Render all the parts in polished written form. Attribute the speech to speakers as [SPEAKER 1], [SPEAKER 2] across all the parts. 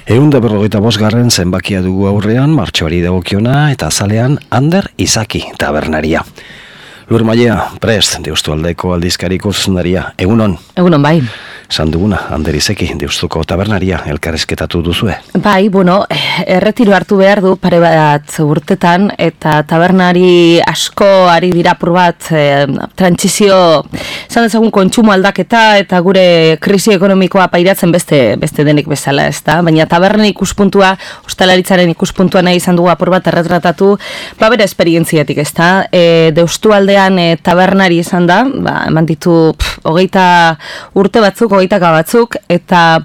[SPEAKER 1] 155. zenbakia dugu aurrean, martxoari dagokiona eta azalean Ander Izaki tabernaria. Lur Maia, prest, Deustualdeko aldizkariko zuzendaria. Egunon?
[SPEAKER 2] Egunon, bai.
[SPEAKER 1] Esan duguna, Ander Izaki, Deustuko tabernaria, elkarrezketatu duzue.
[SPEAKER 2] Bai, erretiro hartu behar du pare bat urtetan, eta tabernari asko ari dira apur bat trantsizio, esan dezagun kontsumo aldaketa, eta gure krisi ekonomikoa pairatzen beste denik bezala, ez da? Baina tabernen ikuspuntua, ostalaritzaren ikuspuntua nahi izan dugu apur bat erretratatu, bere esperientziatik, ez da? Deustualdean tabernari izan da, eman ditu 20 urte batzuk, 20 batzuk, eta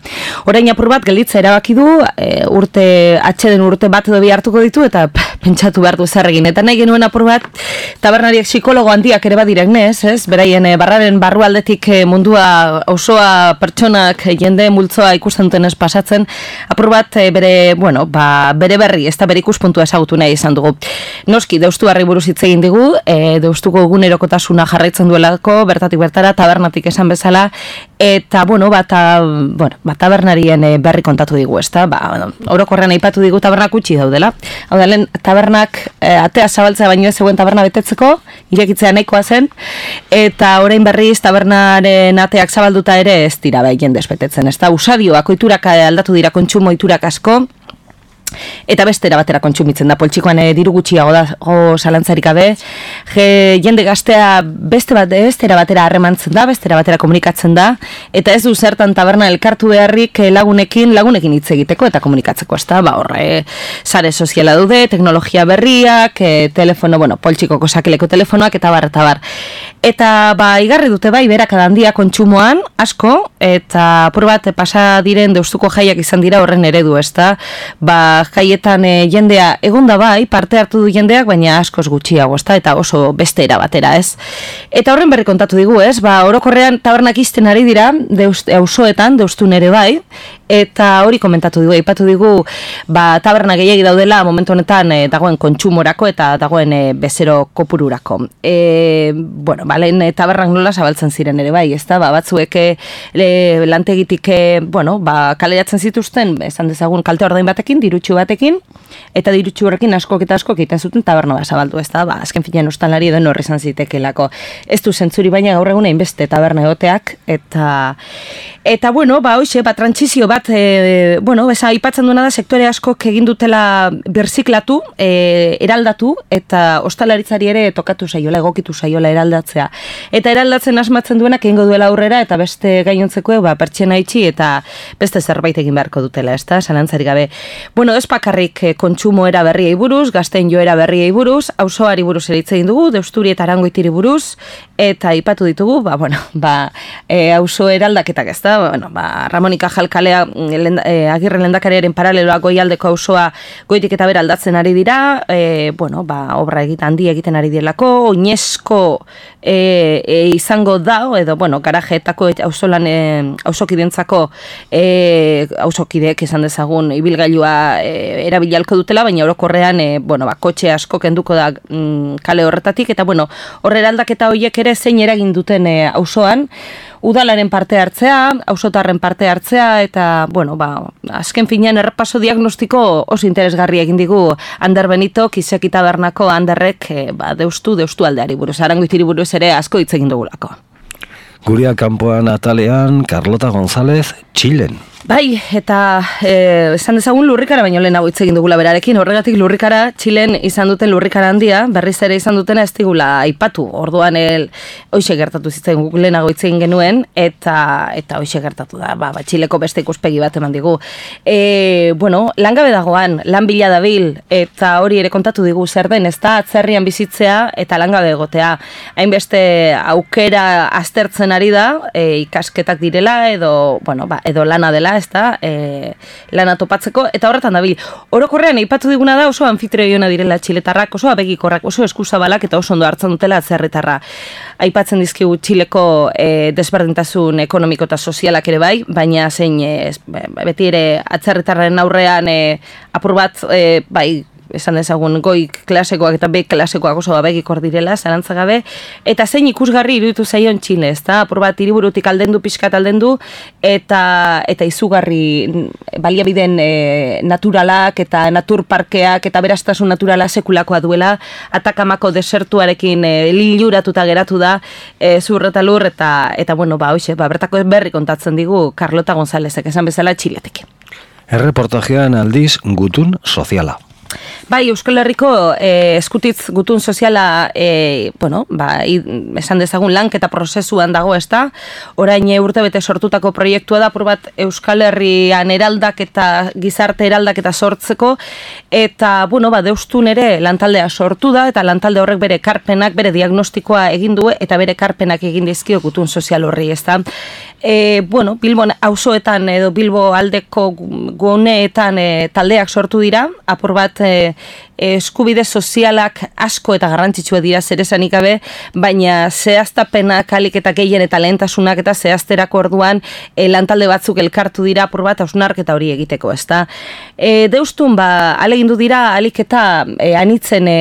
[SPEAKER 2] orain apur bat gelitza erabaki du, atxeden urte bat edo bi hartuko ditu, eta pentsatu behar du zer egin. Eta nahi genuen apur bat, tabernariak psikologo handiak ere badirek nez, ez? Beraien barraren barrualdetik mundua osoa pertsonak jende multzoa ikusten duten ez pasatzen, apur bat bere berri, ez da bere ikuspuntua ezagutu nahi izan dugu. Noski, Deustuarri buruz hitz egin digu, Deustuko egunerokotasuna jarraitzen duelako, bertatik bertara, tabernatik esan bezala, eta tabernarien berri kontatu digu, ez da? Orokorrean aipatu digu tabernak utxi daudela. Hau da, lehen tabernak atea zabaltzea baino ez zegoen taberna betetzeko, irekitzea nahikoa zen, eta orain berriz tabernaren ateak zabalduta ere ez dira jendez betetzen, ez da? Usadioak, oiturak aldatu dira, kontsumo oiturak asko, eta bestera batera kontsumitzen da, poltsikoan diru gutxiago dago zalantzarik gabe, jende gaztea bestera batera harremantzen da, bestera batera komunikatzen da, eta ez du zertan taberna elkartu beharrik lagunekin hitz egiteko eta komunikatzeko, ez da, sare soziala dude, teknologia berriak, telefono, poltsikoko sakeleko telefonoak, eta bar. Eta igarri dute berak handia kontsumoan, asko, eta apur bat pasa diren Deustuko jaiak izan dira horren eredu, ez da, jaietan jendea egonda parte hartu du jendeak, baina askoz gutxiago, ezta, eta oso bestera batera, ez? Eta horren berri kontatu digu, ez? Orokorrean tabernak izten ari dira, auzoetan, Deustun ere bai, eta hori komentatu digu, aipatu digu, taberna gehiagi daudela momentu honetan dagoen kontsumorako eta dagoen bezero kopururako. Lehen tabernak nola zabaltzen ziren ere bai, ezta? Batzuek lantegitik, kaleratzen zituzten, esan dezagun kalte ordain batekin, dirutxu batekin, eta dirutxu horrekin askok egiten zuten taberna zabaldu, ez da, azken finean ostalari edo norri izan zitekelako. Ez du zentzuri, baina gaur egun hainbeste taberna egoteak, eta hoxe, trantsizio bat, aipatzen duena da, sektore askok egin dutela birziklatu, eraldatu, eta ostalaritzari ere tokatu saiola, egokitu saiola eraldatzea. Eta eraldatzen asmatzen duenak egingo duela aurrera, eta beste gainontzeko, pertsena itxi, eta beste zerbait egin beharko dutela, ez da, zalantzari gabe. Ez bakarrik kontsumo era berriei buruz, gazten joera berriei buruz, auzoari buruz ere hitz egin dugu, Deusturi eta Arangoitiri buruz, eta aipatu ditugu, auzo eraldaketak, ez da, Ramonika Jalkalea Agirre lehendakariaren paraleloa Goialdeko auzoa goitik eta bera aldatzen ari dira, obra handia egiten ari direlako, oinezko izango da, edo, garajeetako auzokidentzako auzokideek esan dezagun ibilgailua erabilalko dutela, baina orokorrean kotxe asko kenduko da kale horretatik, eta horre aldaketa horiek ere zein eragin duten auzoan, udalaren parte hartzea, auzotarren parte hartzea, eta, azken finean errepaso diagnostiko oso interesgarri egin digu Ander Benito, Kiseki tabernako Anderrek Deustualdeari buruz, Arangoitiri buruz ere asko hitz egin dugulako.
[SPEAKER 1] Guria kanpoan atalean, Carlota González, Txilen.
[SPEAKER 2] Bai, eta esan dezagun lurrikara, baino lehenago hitz egin dugula berarekin, horregatik lurrikara, Txilen izan duten lurrikara handia, berriz ere izan dutena ez digula aipatu, orduan hoxe gertatu zitzen guk lehenago hitz egin genuen, eta hoxe gertatu da, Txileko beste ikuspegi bat eman digu. Langabe dagoan, lan bila dabil, eta hori ere kontatu digu zer den, ez da atzerrian bizitzea eta langabe egotea. Hainbeste aukera aztertzen ari da, ikasketak direla, edo lana dela, ez da, lana topatzeko, eta horretan dabil. Orokorrean, aipatu diguna da oso anfitrioiona direla txiletarrak, oso abegikorrak, oso eskuzabalak, eta oso ondo hartzen dutela atzerritarra. Aipatzen dizkigu Txileko desberdintasun ekonomiko eta sozialak ere bai, baina zein beti ere atzerritarren aurrean apur bat, esan dezagun goi klasekoak eta B klasekoak oso abegikor direla, zalantza gabe, eta zein ikusgarri iruditu zaion Txile, ezta? Apur bat hiriburutik aldendu, pixkat aldendu, eta izugarri baliabideen naturalak eta naturparkeak eta berastasun naturala sekulakoa duela, Atakamako desertuarekin liluratuta geratu da, zur eta lur, eta bueno, hoxe, bertako berri kontatzen digu Carlota Gonzálezek, esan bezala Txiletik.
[SPEAKER 1] Erreportajean aldiz gutun soziala.
[SPEAKER 2] Bai, Euskal Herriko eskutitz gutun soziala, esan dezagun lanketa prozesuan dago, ezta? Orain urtebete sortutako proiektua da, apur bat Euskal Herrian eraldaketa, gizarte eraldaketa sortzeko, eta, deustun ere lantaldea sortu da, eta lantalde horrek bere karpenak, bere diagnostikoa egin du, eta bere karpenak egin dizkio gutun sozial horri, ezta? Bilbon auzoetan edo Bilbo aldeko guneetan taldeak sortu dira, apur bat eskubide sozialak asko eta garrantzitsua dira zeresanik gabe, baina zehaztapenak alik eta gehien eta lehentasunak eta zehazterako orduan lantalde batzuk elkartu dira apur bat hausnarketa hori egiteko, ezta? Deustun, alegindu dira alik eta anitzen,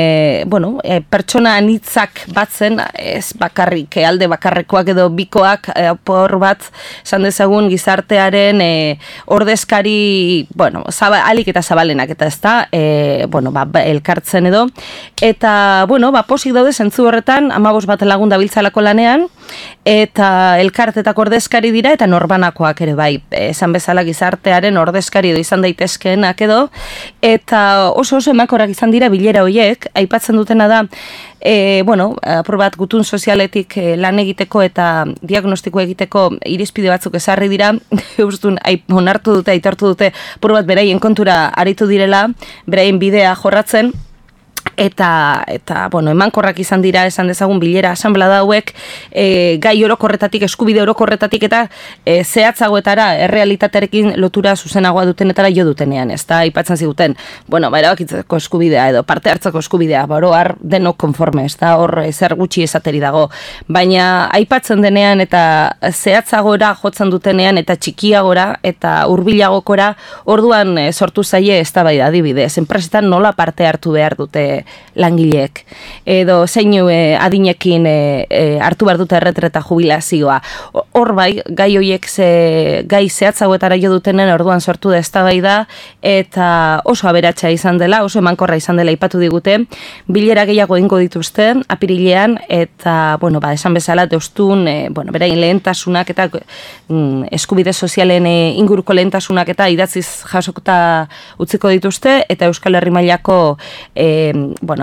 [SPEAKER 2] pertsona anitzak batzen, ez bakarrik, alde bakarrekoak edo bikoak, apur bat, esan dezagun gizartearen ordezkari, alik eta zabalenak, eta ezta, elkartzen edo, eta, posik daude zentzu horretan, 15 bat lagun dabiltzalako lanean, eta elkartetako ordezkari dira, eta norbanakoak ere bai, esan bezala gizartearen ordezkari edo izan daitezkeenak edo, eta oso emakorak izan dira bilera horiek, aipatzen dutena da, apur bat gutun sozialetik lan egiteko eta diagnostiko egiteko irizpide batzuk ezarri dira, eustun onartu dute, aitortu dute, apur bat beraien kontura aritu direla, beraien bidea jorratzen, eta emankorrak izan dira, esan dezagun bilera asanblada hauek, gai orokorretatik, eskubide orokorretatik eta zehatzagoetara, errealitatearekin lotura zuzenagoa dutenetara jo dutenean, ez da, aipatzen ziguten, erabakitzeko eskubidea edo parte hartzeko eskubidea, har denok konforme, ez da, hor zer gutxi esateri dago, baina aipatzen denean eta zehatzagora jotzen dutenean eta txikiagora eta hurbilagokora, orduan sortu zaie ez da bai adibidez, enpresetan nola parte hartu behar dute langileek, edo zeinu adinekin hartu behar dute erretreta jubilazioa. Hor bai, gai horiek gai zehatzagoetara jo dutenen orduan sortu da eztabaida eta oso aberatsa izan dela, oso emankorra izan dela aipatu digute, bilera gehiago egingo dituzten, apirilean, eta, esan bezala, deustun, berain lehentasunak eta eskubide sozialen inguruko lehentasunak eta idatziz jasokta utziko dituzte, eta Euskal Herri mailako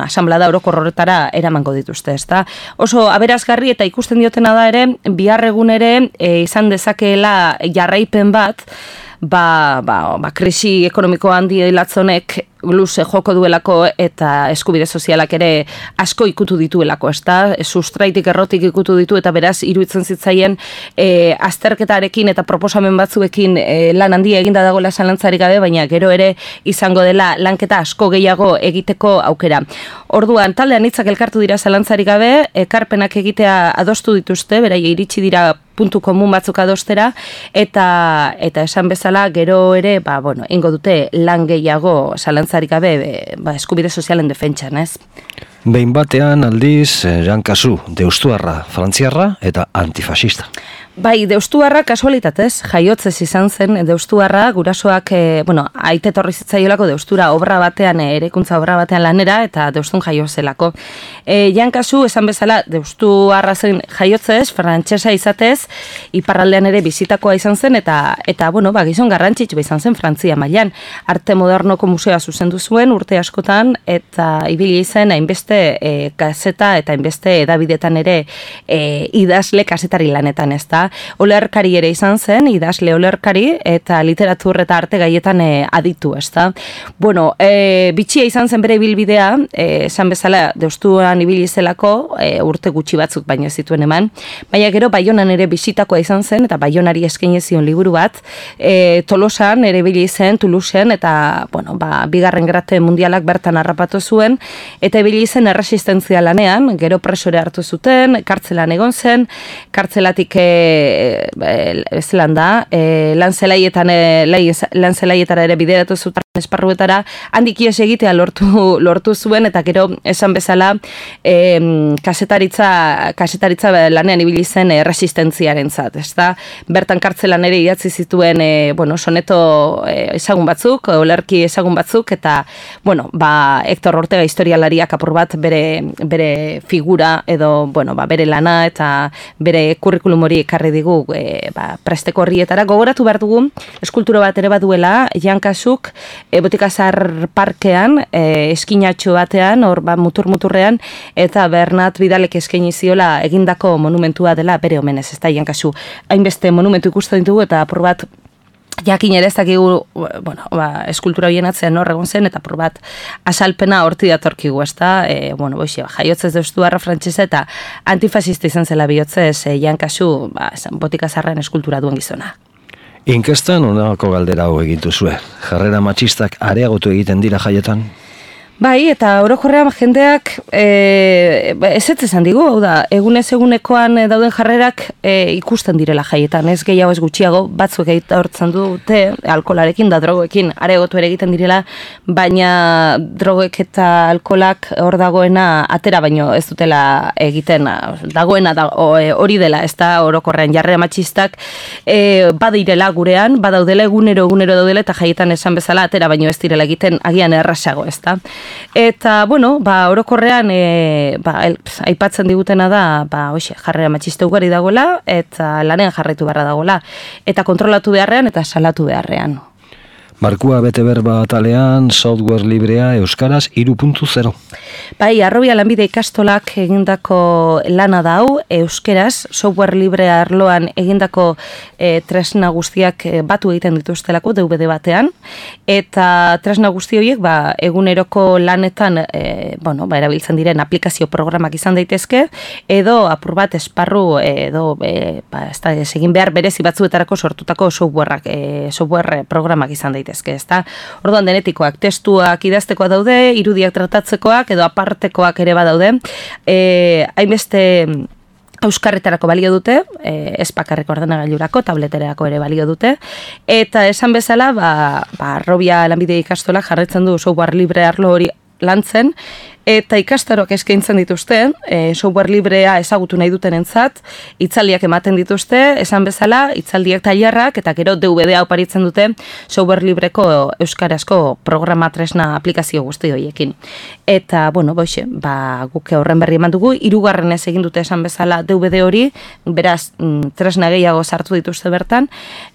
[SPEAKER 2] asanblada orokor horretara eramango dituzte, ezta? Oso aberazgarri eta ikusten diotena da ere, bihar egun ere izan dezakeela jarraipen bat, krisi ekonomiko handi latzonek luze joko duelako eta eskubide sozialak ere asko ikutu dituelako, ezta? Sustraitik errotik ikutu ditu eta beraz iruditzen zitzaien azterketarekin eta proposamen batzuekin lan handia eginda dagoela zalantzarik gabe, baina gero ere izango dela lanketa asko gehiago egiteko aukera. Orduan, taldean hitzak elkartu dira zalantzarik gabe, ekarpenak egitea adostu dituzte, berai iritsi dira puntu komun batzuk adostera, eta esan bezala gero ere, ingo dute lan gehiago zalantzarik gabe eskubide sozialen defentsan, ez?
[SPEAKER 1] Behin batean aldiz, Jankazu, deustuarra, frantziarra eta antifasista.
[SPEAKER 2] Bai, deustuarra kasualitatez, jaiotzez izan zen, deustuarra gurasoak, aite torri zitzaiolako deustura obra batean, eraikuntza obra batean lanera, eta deustun jaio zelako. Jankazu, esan bezala, deustuarra zen jaiotzez, frantsesa izatez, iparraldean ere bizitakoa izan zen, eta gizon garrantzitsua izan zen Frantzia mailan. Arte modernoko museoa zuzendu zuen urte askotan, eta ibili zen hainbeste gazeta eta hainbeste edabidetan ere idazle kazetari lanetan, ezta? Olerkari ere izan zen, idazle olerkari, eta literatur eta arte gaietan aditu, ezta? Bitxia izan zen bere ibilbidea, esan bezala deustuan ibili zelako, urte gutxi batzuk baino zituen eman, baina gero Baionan ere bisitakoa izan zen, eta Baionari eskaini zion liburu bat, Tolosan ere ibili zen, Toulouseen, eta, bigarren gerate mundialak bertan harrapatu zuen, eta ibili zen erresistentzia lanean, gero presore hartu zuten, kartzelan egon zen, kartzelatik lanzelaietara ere bideratu zuten esparruetara, handik ihes egitea lortu zuen, eta gero esan bezala kasetaritza lanean ibili zen resistentziaren zat, ezta? Bertan kartzelan ere idatzi zituen soneto ezagun batzuk, olerki ezagun batzuk, eta Hector Ortega historialariak apur bat bere figura edo bere lana eta bere kurrikulum hori ekarri digu presteko horrietara. Gogoratu behar dugu, eskultura bat ere baduela, Jankasuk Botikazar parkean, eskinatxo batean, hor mutur-muturrean, eta Bernat Vidalek eskaini ziola egindako monumentua dela bere omenez, ez da, Jankasu. Hainbeste monumentu ikusten ditugu, eta apur bat jakin ere ez dakigu, eskultura horien atzean nor egon zen, eta apur bat asalpena horti datorkigu, ez da, jaiotzez deustuarra frantsesa eta antifasista izan zela bihotzez Jankasu, Botikazarren eskultura duen gizona.
[SPEAKER 1] Inkestan honako galdera hau egin duzue. Jarrera matxistak areagotu egiten dira jaietan?
[SPEAKER 2] Bai, eta orokorrean jendeak ez esan digu, hau da, egunez egunekoan dauden jarrerak ikusten direla jaietan, ez gehiago ez gutxiago, batzuek hortzen dute alkolarekin da drogoekin areagotu ere egiten direla, baina drogoek eta alkolak hor dagoena atera baino ez dutela egiten, dagoena hori dela, ez da orokorrean jarrera matxistak badirela gurean, badaudela egunero daudela, eta jaietan esan bezala atera baino ez direla egiten agian errasago, ez da. Eta, orokorrean aipatzen digutena da, jarrera matxista ugari dagoela, eta lanean jarraitu beharra dagoela, eta kontrolatu beharrean, eta salatu beharrean.
[SPEAKER 1] Markua bete berba atalean, software librea euskaraz 3.0.
[SPEAKER 2] Bai, Arrobia lanbide ikastolak egindako lana da hau, euskeraz, software librea arloan egindako tresna guztiak batu egiten dituztelako DVD batean, eta tresna guzti horiek eguneroko lanetan erabiltzen diren aplikazio programak izan daitezke, edo apur bat esparru edo egin behar berezi batzuetarako sortutako software programak izan daitezke. Ezta? Orduan denetikoak, testuak idaztekoak daude, irudiak tratatzekoak edo apartekoak ere badaude. Hainbeste euskarretarako balio dute, ez bakarreko ordenagailurako, tableterako ere balio dute, eta esan bezala, Arrobia lanbide ikastolak jarraitzen du software libre arlo hori lantzen, eta ikastaroak eskaintzen dituzte, software librea ezagutu nahi duten entzat, hitzaldiak ematen dituzte, esan bezala, hitzaldiak tailerrak, eta gero DVD oparitzen dute software libreko euskarazko programa tresna aplikazio guzti horiekin. Eta, guk horren berri eman dugu, 3. egin dute esan bezala DVD hori, beraz, tresna gehiago sartu dituzte bertan,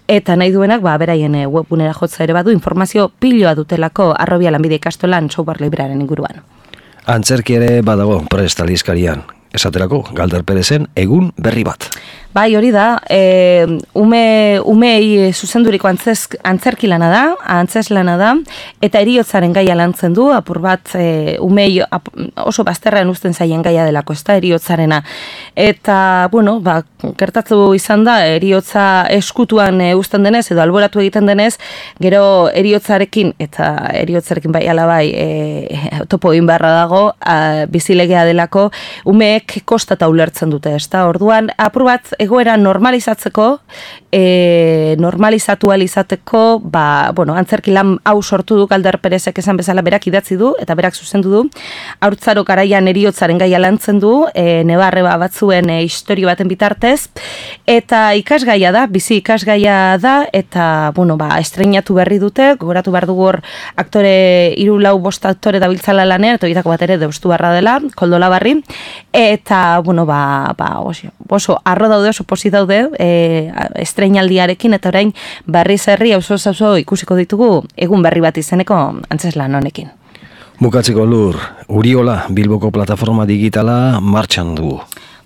[SPEAKER 2] eta nahi duenak, beraien webgunera jotza ere badu, informazio piloa dutelako Arrobia lanbide ikastolan software librearen inguruan.
[SPEAKER 1] Antzerki ere badago prest aldizkarian. Esaterako, Galder Perezen egun berri bat.
[SPEAKER 2] Bai, hori da, umei zuzenduriko antzerki lana da, antzes lana da, eta heriotzaren gaia lantzen du, apur bat umei oso bazterrean uzten zaien gaia delako, ez da, heriotzarena. Eta, gertatu izan da, heriotza eskutuan uzten denez, edo alboratu egiten denez, gero heriotzarekin, eta heriotzarekin bai alabai topo egin beharra dago, bizilegea delako, umeek kostata ulertzen dute, ez da, orduan, apur bat, egoera normalizatzeko, normalizatu alizateko, antzerki lan hau sortu du Galder Perezek esan bezala berak idatzi du, eta berak zuzendu du, haurtzaro garaian heriotzaren gaia lantzen du, nebarreba batzuen historio baten bitartez, eta ikasgaia da, bizi ikasgaia da, eta, estreinatu berri dute, gogoratu behar dugu hor aktore, 3-4 aktore dabiltzala lanean, eta horietako bat ere deustu barra dela, Koldo Labarri, eta, oso arro daude, oso posit daude, estreinaldiarekin, eta orain berriz herri auzo ikusiko ditugu egun berri bat izeneko antzeslan honekin.
[SPEAKER 1] Bukatzeko Lur, Uriola Bilboko plataforma digitala martxan du.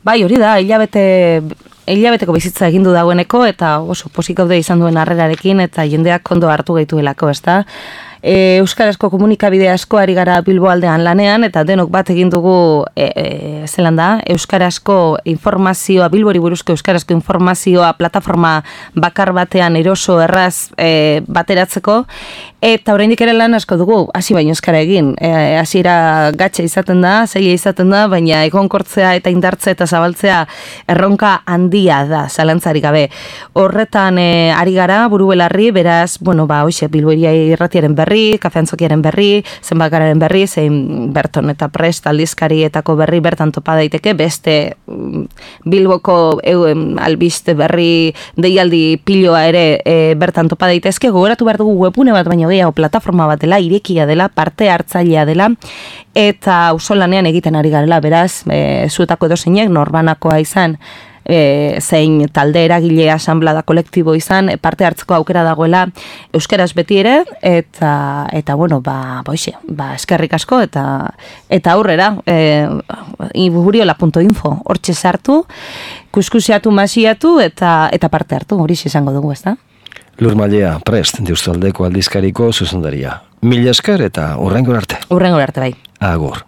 [SPEAKER 2] Bai, hori da, hilabeteko bizitza egindu dagoeneko, eta oso pozik gaude izan duen harrerarekin, eta jendeak ondo hartu gaituelako, ez da? Euskarazko komunikabide asko ari gara Bilbo aldean lanean, eta denok bat egin dugu zelan da, Euskarazko informazioa, Bilbori buruzko Euskarazko informazioa plataforma bakar batean eroso erraz bateratzeko, eta oraindik ere lan asko dugu, hasi baino euskara egin, hasiera gatxa izaten da, zaila izaten da, baina egonkortzea eta indartzea eta zabaltzea erronka handia da, zalantzarik gabe. Horretan ari gara, buru belarri, beraz, hoxe, Bilboria irratiaren berri, kafeantzokiaren berri, zenbakararen berri, zein Berton eta Prest aldizkarietako berri bertan topa daiteke, beste Bilboko albiste berri deialdi piloa ere bertan topa daitezke, gogoratu behar dugu webune bat, baina gehiago plataforma bat dela, irekia dela, parte hartzailea dela, eta auzolanean egiten ari garela, beraz, zuetako edozeinek, norbanakoa izan, zein talde eragile asanblada kolektibo izan, parte hartzeko aukera dagoela euskaraz beti ere, eta eskerrik asko, eta aurrera, iburiola.info, hortxe sartu, kuskusiatu, masiatu, eta parte hartu, hori izango dugu, ez da?
[SPEAKER 1] Lur Mallea, Prest, Deustualdeko aldizkariko zuzendaria. Mila esker eta hurrengora arte.
[SPEAKER 2] Hurrengora arte, bai.
[SPEAKER 1] Agur.